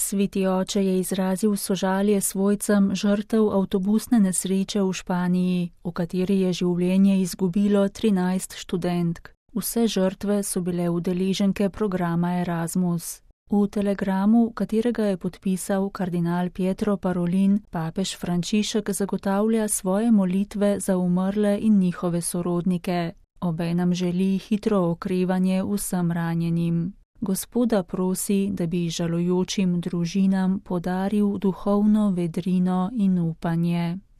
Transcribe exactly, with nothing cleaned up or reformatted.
Sveti oče je izrazil sožalje svojcem žrtev avtobusne nesreče v Španiji, v kateri je življenje izgubilo trinajst študentk. Vse žrtve so bile udeleženke programa Erasmus. V telegramu, katerega je podpisal kardinal Pietro Parolin, papež Frančišek zagotavlja svoje molitve za umrle in njihove sorodnike. Obenem želi hitro okrevanje vsem ranjenim. Gospoda prosi, da bi žalujočim družinam podaril duhovno vedrino in upanje.